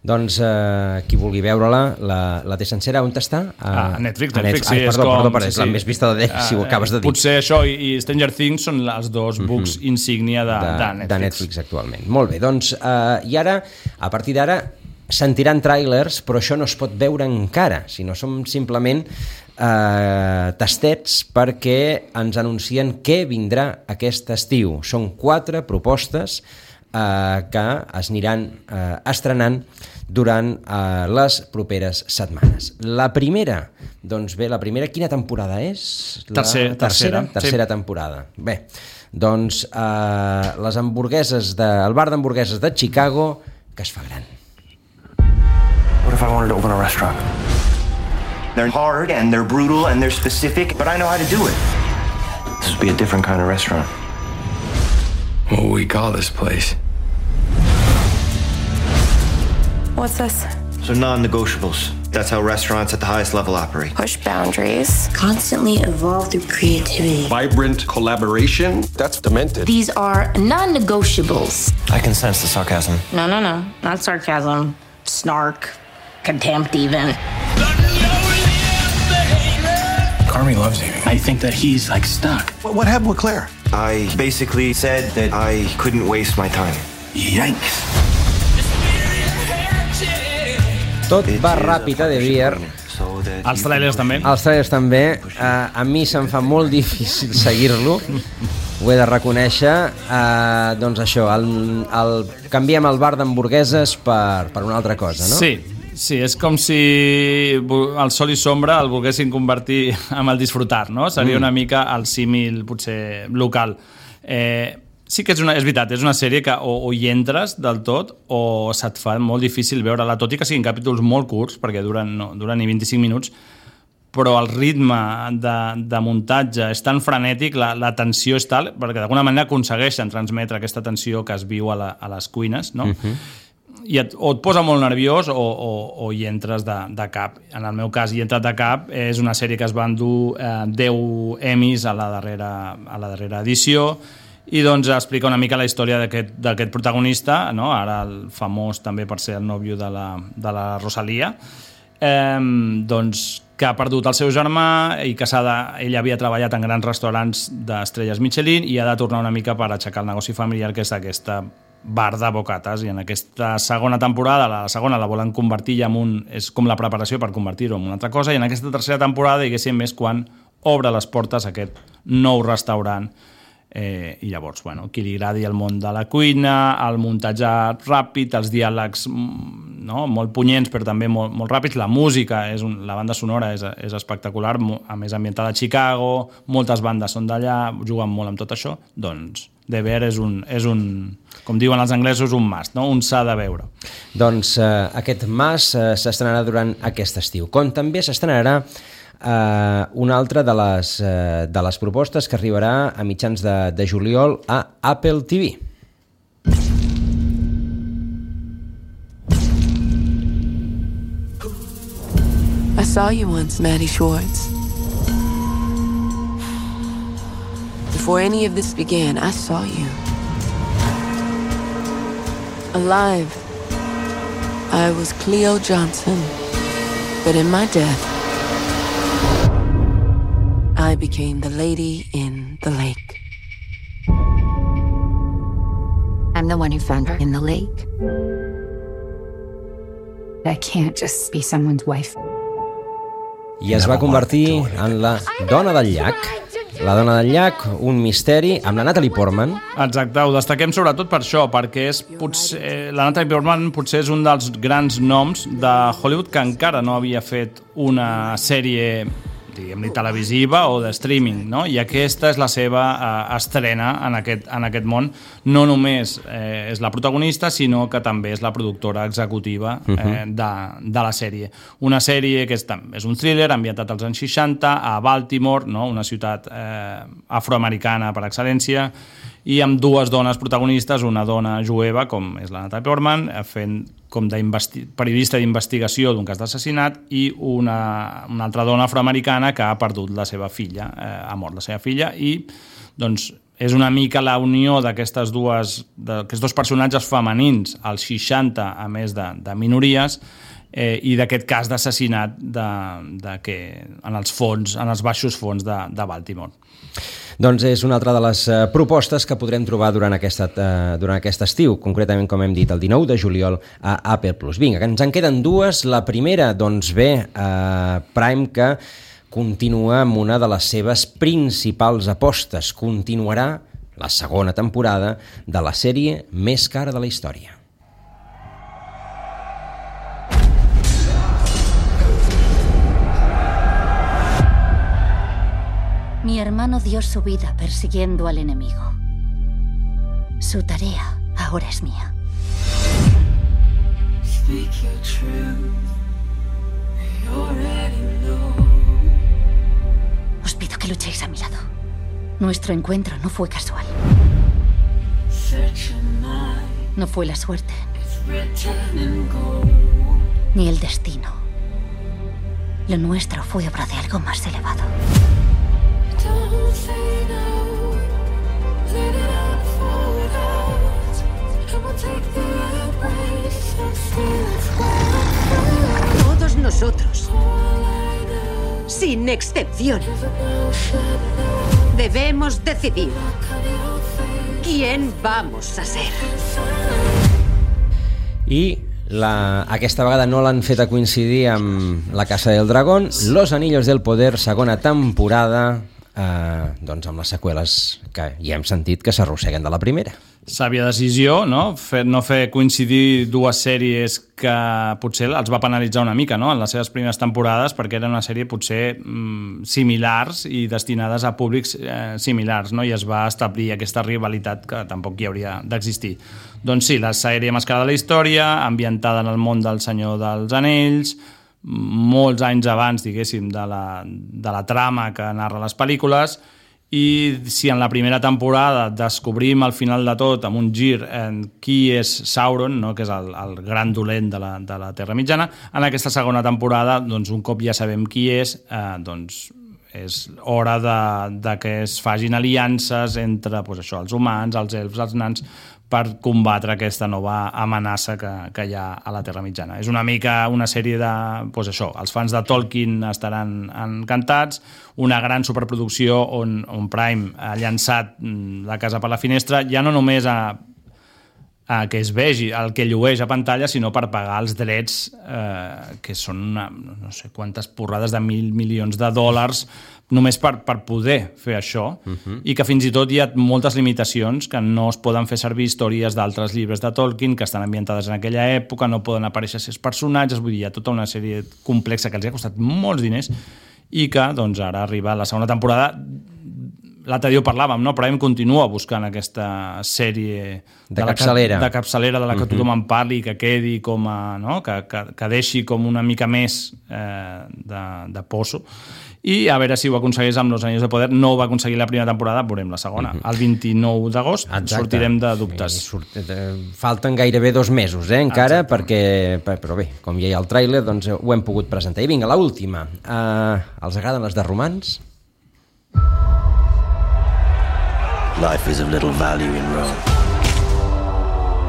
Doncs eh, qui vulgui veure-la, la, la té sencera, on està? A, a Netflix, a Netflix, Ai, sí. Perdó, com, perdó, perdó, és sí, la sí. més vista de Netflix, si ho acabes de dir. Potser això i, i Stranger Things són els dos books uh-huh. insígnia de, de, de, Netflix. de Netflix actualment. Molt bé, doncs, eh, i ara, a partir d'ara, sentiran tràilers, però això no es pot veure encara, sinó som simplement eh, tastets perquè ens anuncien què vindrà aquest estiu. Són quatre propostes eh, que es aniran eh, estrenant durant eh, les properes setmanes. La primera, doncs bé, la primera, quina temporada és? La tercera. Tercera, tercera sí. temporada. Bé, doncs eh, les hamburgueses, de, el bar d'hamburgueses de Chicago, que es fa gran. What if I wanted to open a restaurant? They're hard and they're brutal and they're specific, but I know how to do it. This would be a different kind of restaurant. What will we call this place? What's this? So non-negotiables. That's how restaurants at the highest level operate. Push boundaries. Constantly evolve through creativity. Vibrant collaboration. That's demented. These are non-negotiables. I can sense the sarcasm. No, no, no. Not sarcasm. Snark. Contempt even. Carmi loves Amy. I think that he's like stuck. What, what happened with Claire? I basically said that I couldn't waste my time. Yikes. Tot va ràpid a The Bear. Els trailers també. Els trailers també. Uh, a mi se'm fa molt difícil seguir-lo. Ho he de reconèixer. Uh, doncs això, el, el, canviem el bar d'hamburgueses per, per una altra cosa, no? Sí, sí, és com si el Sol i Sombra el volguessin convertir en el disfrutar, no? Seria una mica el símil, potser, local. Eh, sí que és, una, és veritat, és una sèrie que o, o hi entres del tot o se't fa molt difícil veure-la, tot i que siguin capítols molt curts, perquè duren, no, duren ni vint-i-cinc minuts, però el ritme de, de muntatge és tan frenètic, la, la tensió és tal, perquè d'alguna manera aconsegueixen transmetre aquesta tensió que es viu a, la, a les cuines, no? Uh-huh. I et, o et posa molt nerviós o, o, o hi entres de, de cap. En el meu cas, hi he entrat de cap. És una sèrie que es va endur eh, deu Emmys a la darrera, a la darrera edició i doncs explica una mica la història d'aquest protagonista, no? Ara el famós també per ser el nòvio de la, de la Rosalia, eh, doncs que ha perdut el seu germà i que s'ha de, ell havia treballat en grans restaurants d'estrelles Michelin i ha de tornar una mica per aixecar el negoci familiar, que és aquesta bar de bocates, i en aquesta segona temporada, la segona la volen convertir ja en un, és com la preparació per convertir-ho en una altra cosa, i en aquesta tercera temporada, diguéssim, és quan obre les portes a aquest nou restaurant. Eh, i llavors, bueno, qui li agradi el món de la cuina, el muntatge ràpid, els diàlegs, no, molt punyents però també molt, molt ràpids, la música, és un, la banda sonora és, és espectacular, a més ambientada a Chicago, moltes bandes són d'allà, juguen molt amb tot això, doncs The Bear és un, és un, com diuen els anglesos, un must, no? Un s'ha de veure. Doncs eh, aquest must eh, s'estrenarà durant aquest estiu, com també s'estrenarà Uh, una altra de les, uh, de les propostes que arribarà a mitjans de, de juliol a Apple T V. I saw you once, Maddie Schwartz. Before any of this began, I saw you. Alive. I was Cleo Johnson. But in my death, I became the lady in the lake. I'm the one who found her in the lake. I can't just be someone's wife. I es va convertir en la dona del llac. La dona del llac, un misteri, amb la Natalie Portman. Exacte, ho destaquem sobretot per això, perquè és potser, la Natalie Portman potser és un dels grans noms de Hollywood que encara no havia fet una sèrie, diguem-li, televisiva o de streaming, no? I aquesta és la seva eh, estrena en aquest, en aquest món. No només eh, és la protagonista, sinó que també és la productora executiva eh, de, de la sèrie. Una sèrie que és, és un thriller ambientat als anys seixanta a Baltimore, no? Una ciutat eh, afroamericana per excel·lència, i amb dues dones protagonistes, una dona jueva, com és la Natalie Portman, fent com de periodista d'investigació d'un cas d'assassinat, i una, una altra dona afroamericana que ha perdut la seva filla, eh, ha mort la seva filla, i doncs és una mica la unió d'aquestes dues, d'aquests dos personatges femenins, als seixanta, a més de, de minories, eh, i d'aquest cas d'assassinat de, de que, en els fons, en els baixos fons de, de Baltimore. Doncs és una altra de les uh, propostes que podrem trobar durant, aquesta, uh, durant aquest estiu, concretament, com hem dit, el dinou de juliol a Apple plus. Vinga, que ens en queden dues. La primera, doncs bé, uh, Prime, que continua amb una de les seves principals apostes. Continuarà la segona temporada de la sèrie més cara de la història. Mi hermano dio su vida persiguiendo al enemigo. Su tarea ahora es mía. Os pido que luchéis a mi lado. Nuestro encuentro no fue casual. No fue la suerte, ni el destino. Lo nuestro fue obra de algo más elevado. Todos nosotros, sin excepción, debemos decidir quién vamos a ser. I la, aquesta vegada no l'han fet a coincidir amb La Casa del Dragón, Los Anillos del Poder, segona temporada, eh, doncs amb les seqüeles que ja hem sentit que s'arrosseguen de la primera. Sàvia decisió, no? Fer, no fer coincidir dues sèries que potser els va penalitzar una mica, no?, en les seves primeres temporades, perquè era una sèrie potser mm, similars i destinades a públics eh, similars, no?, i es va establir aquesta rivalitat que tampoc hi hauria d'existir. Doncs sí, la sèrie més cara de la història, ambientada en el món del Senyor dels Anells, molts anys abans, diguéssim, de la, de la trama que narra les pel·lícules. I si en la primera temporada descobrim al final de tot, amb un gir, en qui és Sauron, no?, que és el, el gran dolent de la, de la Terra Mitjana, en aquesta segona temporada, doncs, un cop ja sabem qui és, eh, doncs, és hora de, de que es fagin aliances entre, doncs, això, els humans, els elfs, els nans, per combatre aquesta nova amenaça que, que hi ha a la Terra Mitjana. És una mica una sèrie de... Doncs això, els fans de Tolkien estaran encantats, una gran superproducció on, on Prime ha llançat La casa per la finestra, ja no només a, a que es vegi el que llueix a pantalla, sinó per pagar els drets, eh, que són una, no sé quantes porrades de mil milions de dòlars, només per, per poder fer això, uh-huh. i que fins i tot hi ha moltes limitacions, que no es poden fer servir històries d'altres llibres de Tolkien que estan ambientades en aquella època, no poden aparèixer certs personatges, vull dir, hi ha tota una sèrie complexa que els ha costat molts diners i que doncs, ara arriba la segona temporada. L'altre dia ho parlàvem, no? Però Prime continua buscant aquesta sèrie de, de capçalera, la, de capçalera de la que uh-huh. tothom en parli, que quedi com a, no? que, que, que deixi com una mica més eh, de, de poso. I a veure si ho aconsegueix amb Los Anillos de Poder. No ho va aconseguir la primera temporada, veurem la segona. Uh-huh. El vint-i-nou d'agost sortirem de dubtes. Surt, falten gairebé dos mesos, eh, encara, perquè, però bé, com ja hi ha el tràiler, doncs ho hem pogut presentar. I vinga, l'última. Uh, els agraden les de romans? Life is of little value in Rome.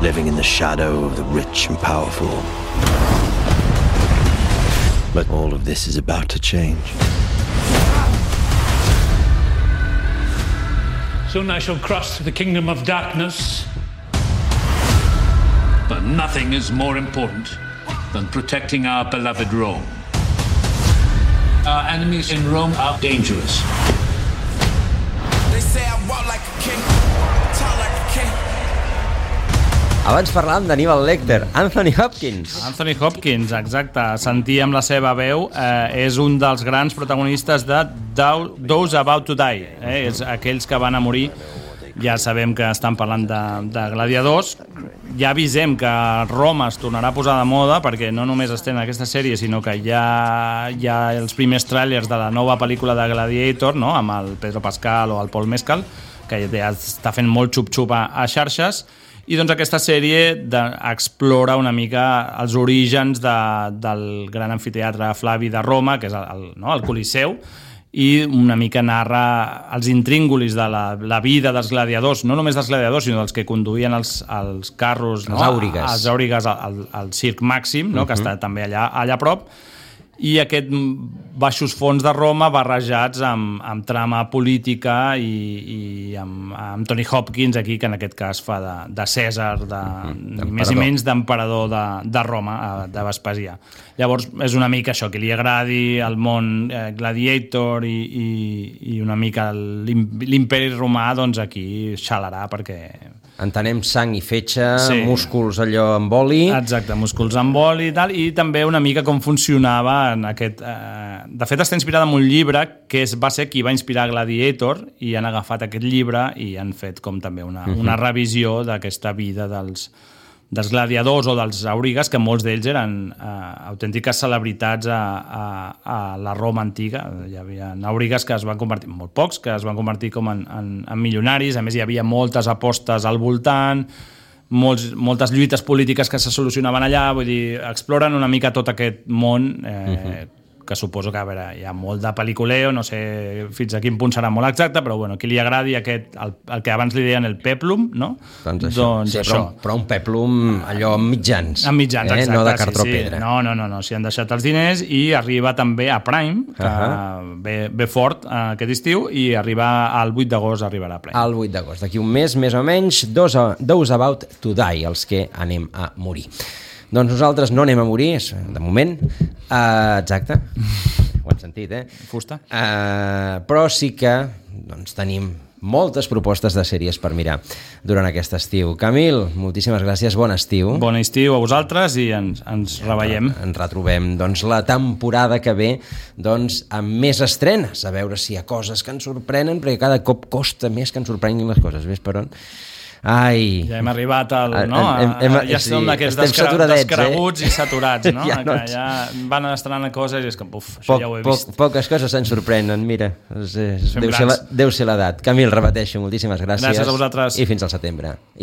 Living in the shadow of the rich and powerful. But all of this is about to change. Soon I shall cross the kingdom of darkness. But nothing is more important than protecting our beloved Rome. Our enemies in Rome are dangerous. Abans parlàvem d'Hannibal Lecter, Anthony Hopkins. Anthony Hopkins, exacte. Sentíem la seva veu. Eh, és un dels grans protagonistes de Those About to Die. Eh? És aquells que van a morir. Ja sabem que estan parlant de, de gladiadors. Ja avisem que Roma es tornarà a posar de moda, perquè no només estem en aquesta sèrie, sinó que ja hi ha els primers tràilers de la nova pel·lícula de Gladiator, no?, amb el Pedro Pascal o el Paul Mescal, que ja està fent molt xup-xup a, a xarxes. I doncs aquesta sèrie de, explora una mica els orígens de, del gran amfiteatre Flavi de Roma, que és el, el, no, el Coliseu, i una mica narra els intríngulis de la, la vida dels gladiadors, no només dels gladiadors, sinó dels que conduïen els, els carros, no? Els àurigues. Els àurigues al, al, al Circ Màxim, no? Uh-huh. Que està també allà, allà a prop, i aquest baixos fons de Roma barrejats amb, amb trama política i, i amb, amb Tony Hopkins aquí, que en aquest cas fa de, de Cèsar, de, ni més ni menys d'emperador de, de Roma, de Vespasià. Llavors és una mica això, que li agradi el món eh, Gladiator i, i, i una mica l'imperi romà, doncs aquí xalarà, perquè entenem sang i fetge, sí. músculs allò amb oli. Exacte, músculs amb oli i tal, i també una mica com funcionava en aquest... Eh... De fet, està inspirat en un llibre que és, va ser qui va inspirar Gladiator, i han agafat aquest llibre i han fet com també una, uh-huh. una revisió d'aquesta vida dels, dels gladiadors o dels àurigues, que molts d'ells eren eh, autèntiques celebritats a, a, a la Roma antiga. Hi havia àurigues que es van convertir, molt pocs, que es van convertir com en, en, en milionaris. A més, hi havia moltes apostes al voltant, molts, moltes lluites polítiques que se solucionaven allà. Vull dir, exploren una mica tot aquest món eh, uh-huh. que suposo que, a veure, hi ha molt de pel·liculeo, no sé fins a quin punt serà molt exacte, però bueno, qui li agradi aquest, el, el que abans li deien el peplum, no? Doncs això. Doncs sí, això. Però, però un peplum allò amb mitjans. Amb mitjans, eh? exacte. No de cartró sí, sí. pedra. No, no, no, no, s'hi han deixat els diners i arriba també a Prime, que uh-huh. ve, ve fort eh, aquest estiu, i arriba al vuit d'agost arribarà a Prime. Al vuit d'agost, d'aquí un mes, més o menys, Those, those About to Die, els que anem a morir. Doncs nosaltres no anem a morir, de moment. Uh, exacte. Ho han sentit, eh? Fusta. Uh, però sí que doncs, tenim moltes propostes de sèries per mirar durant aquest estiu. Camil, moltíssimes gràcies, bon estiu. Bon estiu a vosaltres i ens, ens reveiem. Ens retrobem doncs, la temporada que ve doncs, amb més estrenes, a veure si hi ha coses que ens sorprenen, perquè cada cop costa més que ens sorprenguin les coses. Ves per on? Ai. Ja hem arribat al... No? Hem, hem, ja sí, som d'aquests descre descreguts eh? i saturats, no? ja, no que ja van estrenant coses i és que, uf, això poc, ja ho he vist. Poc, poques coses se'n sorprenen, mira. És, és, deu, ser la, deu ser l'edat. Camil, repeteixo, moltíssimes gràcies. Gràcies a vosaltres. I fins al setembre. I